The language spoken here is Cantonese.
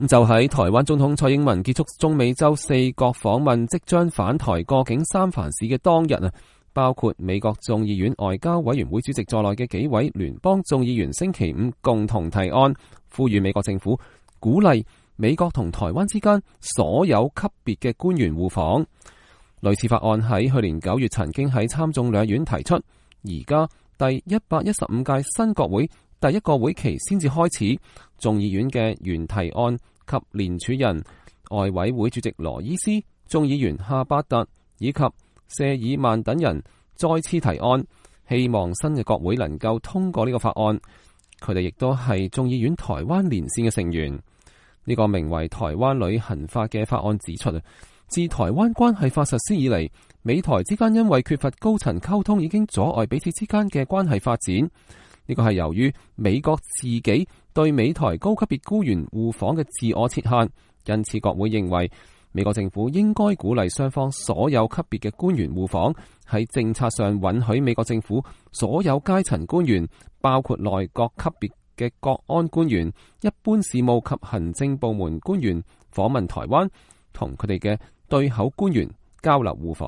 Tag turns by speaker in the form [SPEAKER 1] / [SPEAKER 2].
[SPEAKER 1] 就喺台灣總統蔡英文結束中美洲4國訪問，即將返台過境三藩市嘅當日啊，包括美國眾議院外交委員會主席在內嘅幾位聯邦眾議員星期五共同提案，呼籲美國政府鼓勵美國同台灣之間所有級別嘅官員互訪。類似法案喺去年9月曾經喺參眾兩院提出，而家第115屆新國會第一個會期先至開始，眾議院嘅原提案及聯署人外委會主席羅伊斯、眾議員夏伯特以及謝爾曼等人再次提案，希望新嘅國會能夠通過呢個法案。佢哋亦都係眾議院台灣連線嘅成員。呢個名為《台灣旅行法》嘅法案指出，自台灣關係法實施以嚟，美台之間因為缺乏高層溝通，已經阻礙彼此之間嘅關係發展。呢個係由於美國自己對美台高級別官員互訪嘅自我設限，因此國會認為美國政府應該鼓勵雙方所有級別嘅官員互訪，喺政策上允許美國政府所有階層官員，包括內閣級別嘅國安官員、一般事務及行政部門官員訪問台灣，同佢哋嘅對口官員交流互訪。